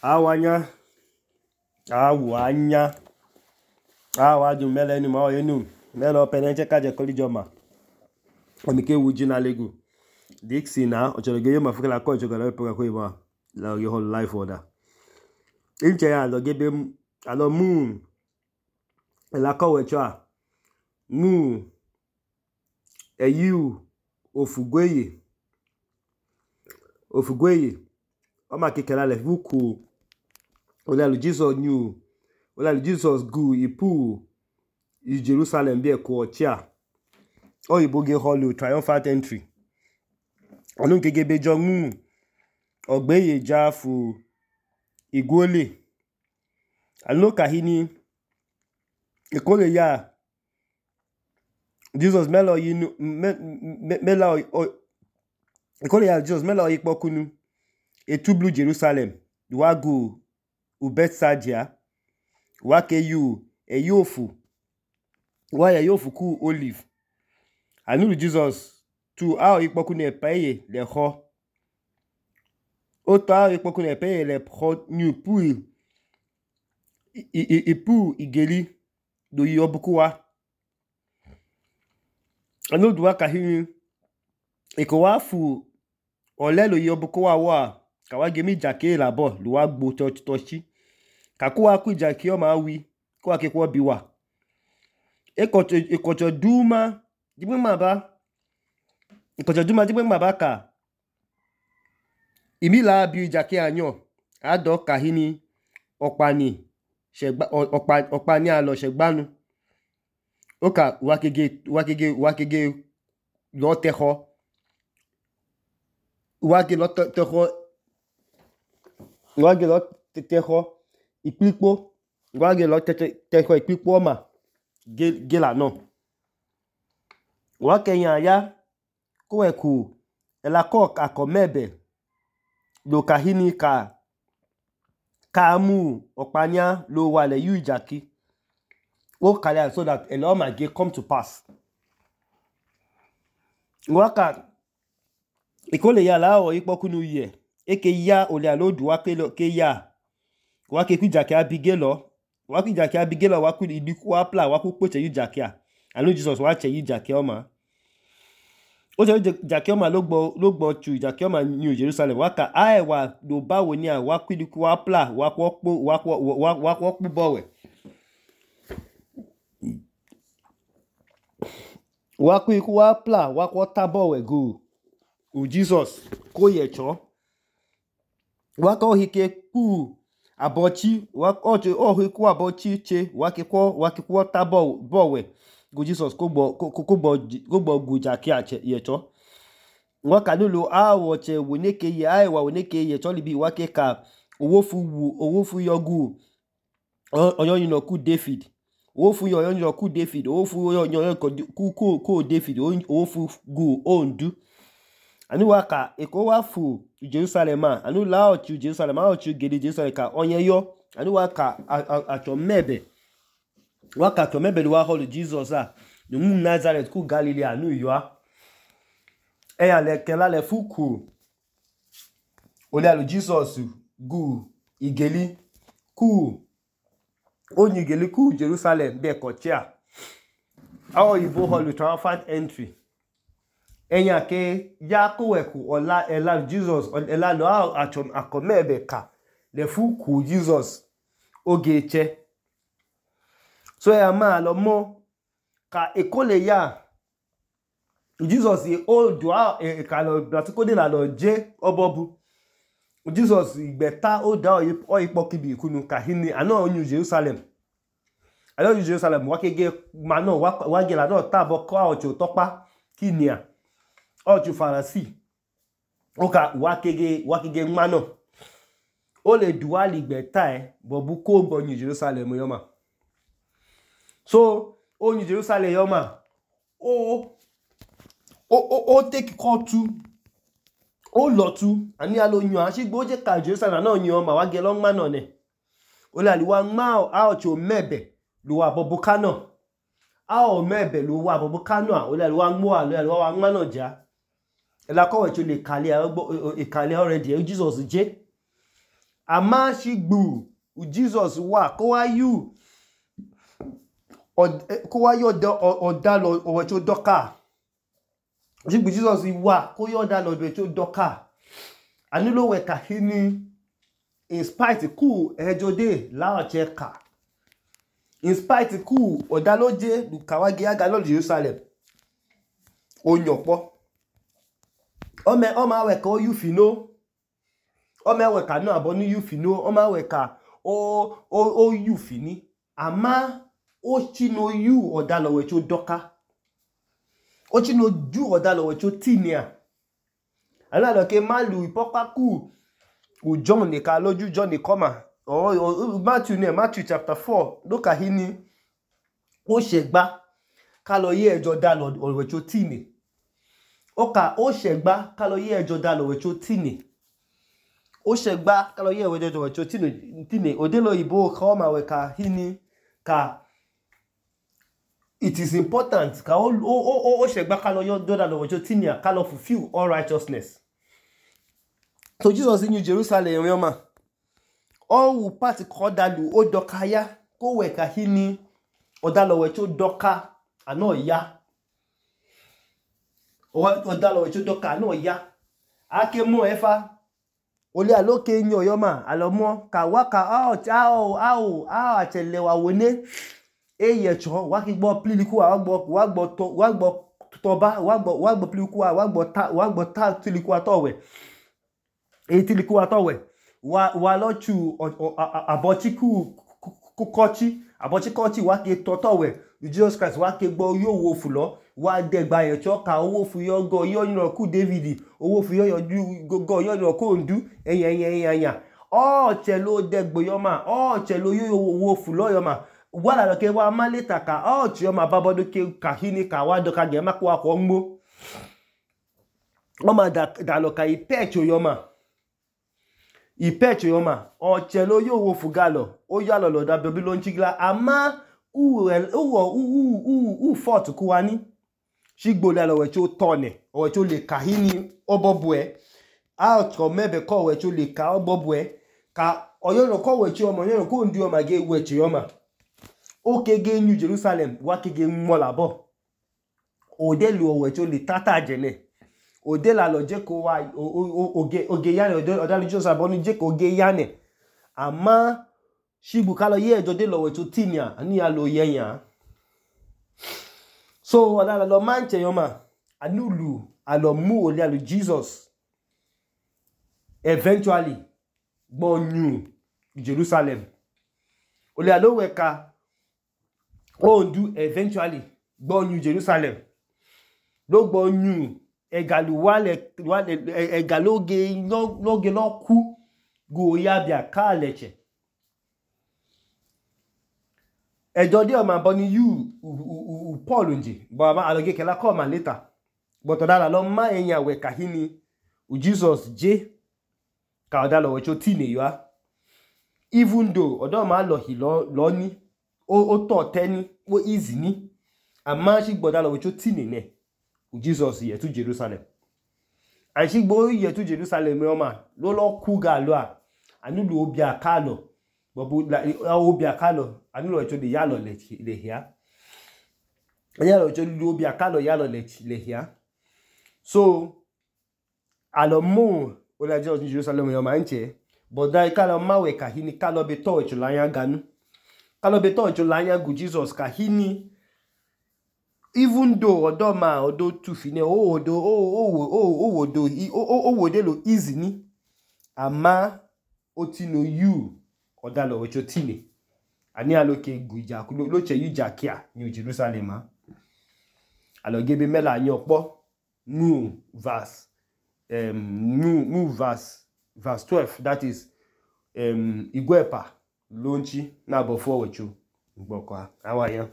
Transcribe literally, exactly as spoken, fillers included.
awanya awanya awaju mele ni ma yenu mele penenche kaje kolijoma omike wujina legu dixina ochologe yo mafukela ko chogala pe ko iba la your whole life order inche ya lo gebe alo mu la ko wecha mu eyu ofugweye ofugweye o ma kekela le vuku olalu Jesus new olalu Jesus gu ipu i Jerusalem be ko chia o iboge holu triumphant entry onu gegebe jo mu ogbeye jafu igwole alo kahini ikole ya Jesus melo yinu melo ikole ya Jesus melo ipokunu etublu Jerusalem wagu ubetsadia wake yu eyofu wa ya yofu ku olive anu Jesus tu a ipokunu epeye le ho o ta ipokunu epeye le ho new pu ipu igeli do yobukuwa anu duwa kahini ikowafu olelo yobukuwa wa kawage mi jake labo luwa gbo tochi kakuwa ku jake o ma wi ko akekwo biwa ekocho ekocho duma digbe maba ekocho duma digbe maba ka imila bi jake anyo ado kahini opani segba opa opani alo segbanu oka wakege wakege wakege lo teho wage lo teho wage lo teho ipipo wage lo teho ipipo ma gela no wake yan ya ko eku elako akomebe lo kahini ka kamu opania lo wale yu jaki o kale so that elo ma ge come to pass waka ikole ya la o ipokunu ye eke ya ole alodu wa ke ke ya wa ke ku jake abigelo wa ku jake abigelo wa ku idiku wa pla wa ku poche yu jake a anu Jesus wa che yu jake o ma o je jake o ma lo gbo lo gbo chu jake o ma New Jerusalem wa ka ai wa do bawo ni a wa ku idiku wa pla wa ku po wa ku wa wa ku bowe wa ku iku wa pla wa ku tabowe go u Jesus ko ye cho wa ko hike ku abochi wa ko o hiku abochi che wa ke ko wa ke ko tabo bowe go Jesus ko gbo ko ko gbo ko gbo gu jake a che ye cho wa ka lulu a wo che woneke ye ai wa woneke ye cho libi wa ke ka owo fu wu owo fu yogu oyo yin no ku David owo fu yo yo ku David owo fu yo yo ku ku ku David owo fu gu ondu anu waka eko wa fu Jerusalem anu la o chu Jerusalem a o chu gede Jerusalem ka onye yo anu waka acho mebe waka to mebe wa holu Jesus a no mu Nazareth ku Galilee anu yo a eya le kela le fuku ole alu Jesus gu igeli ku onyi igeli ku Jerusalem be ko chia awo ibo holu triumphant entry enya ke ya ko weku ola ela Jesus ela lo acho akomebe ka le fuku Jesus ogeche so ya ma lo mo ka ekole ya Jesus e o do e ka lo bratiko de la lo je obobu Jesus igbeta o da o ipo kibi kunu ka hini ana New Jerusalem ana New Jerusalem wa kege ma no wa ge la no tabo ko ocho topa kinia oju Farasi oka wakege wakege mano o le duali gbeta e bobu ko gbo New Jerusalem yoma so o New Jerusalem yoma o o o take call to o lotu ani alo yan asigbo je ka Jerusalem na yan ma wage lo mano ne o le aliwa ma a ocho mebe lo wa bobu kano a o mebe lo wa bobu kano o le aliwa mo a lo aliwa wa mano ja ela ko we le kale e kale already Jesus je ama shigbu u Jesus wa ko wa yu ko wa yo odalo owecho doka shigbu Jesus wa ko yo odalo owecho doka anilo we ka hini in spite ku ejode la oche ka in spite ku odaloje lukawage aga lo Jerusalem onyopo ome oma we ka o yu fino ome we ka no abo ni yu fino oma we ka o o o yu fini ama o chino yu odalo wecho doka o chino ju odalo wecho tinia ala lo ke malu ipopa ku u John ne ka loju John ne koma o Matthew ne Matthew chapter four lo ka hini o segba ka lo ye ejo dalo wecho tini o ka o segba ka lo ye ejo dalo wecho tini o segba ka lo ye ejo wecho tini tini odelo ibo ka o ma we ka hini ka it is important ka o o o segba ka lo ye dalo wecho tini ka lo fulfill all righteousness. So Jesus in New Jerusalem yoma all wu part ko dalu o doka ya ko we ka hini odalo wecho doka ano ya odalo wecho doka ano ya ake mo efa ole aloke nyo yoma alomo ka waka a o a o a atelewa wone eye cho wa ki gbo pliliku wa gbo wa gbo to wa gbo toba wa gbo wa gbo pliliku wa gbo ta wa gbo ta tiliku atowe e tiliku atowe wa wa lochu abochiku kukochi abochikochi wa ke totowe Jesus Christ wa ke gbo yo wo fulo wa de gba ye cho ka owo fu yo go yo yin ku David owo fu yo yo go yo yin ko ndu eyan eyan eyan o chelo de gbo yo ma o chelo yo wo fulo yo ma wala lo ke wa maleta ka o ti yo ma babodo ke ka hini ka wa do ka ge ma ko wa ko ngbo o ma da da lo ka ipecho yo ma ipecho yo ma o chelo yo wo fu galo o ya lo lo da Babylon chigla ama u u u u u fort kuwani shigbo la lo we cho tone o we cho le kahini obobwe a ko mebe ko we cho le ka obobwe ka oyo lo ko we cho omo yo ko ndi o ma ge we chi yo ma o kege New Jerusalem wa kege mola bo o de lu o we cho le tata jene o de la lo je ko wa oge oge ya o da lu Jesus abonu je ko oge ya ne ama shigbu ka lo ye ejo de lo we cho tinia ani ya lo ye yan so wala lo manche yoma anulu alo mu ole alu Jesus eventually gbo new Jerusalem ole alo we ka o ndu eventually gbo new Jerusalem lo gbo new egalu wale wale egaloge lo loge lo ku go ya bia ka leche ejo de o ma boni you u Paul nje bo ma aloge kela come later but odala lo ma eyan we ka hini u Jesus je ka odala we cho tine yo even though odo ma lo hi lo lo ni o o to teni o easy ni ama shi gbodala we cho tine ne u Jesus ye to Jerusalem and shi gbo ye to Jerusalem yo ma lo lo ku ga lo a anulu obi akalo bobu la obi akalo anulu we cho de ya lo le le hia ya lo cho lu obi akalo ya lo le le hia so alomo o la Jesus Jerusalem yo ma nche but dai kala ma we ka hini kala be to cho la yan ganu kala be to cho la yan gu Jesus ka hini even though odo ma odo tu fine o odo o o o o odo o o wode lo easy ni ama o ti no you odalo we cho tine ani aloke guja lo che yu jakia New Jerusalem a alo gebe mela yan opo nu verse um nu nu verse verse twelve that is um igwepa lonchi na before we cho gboko awa yan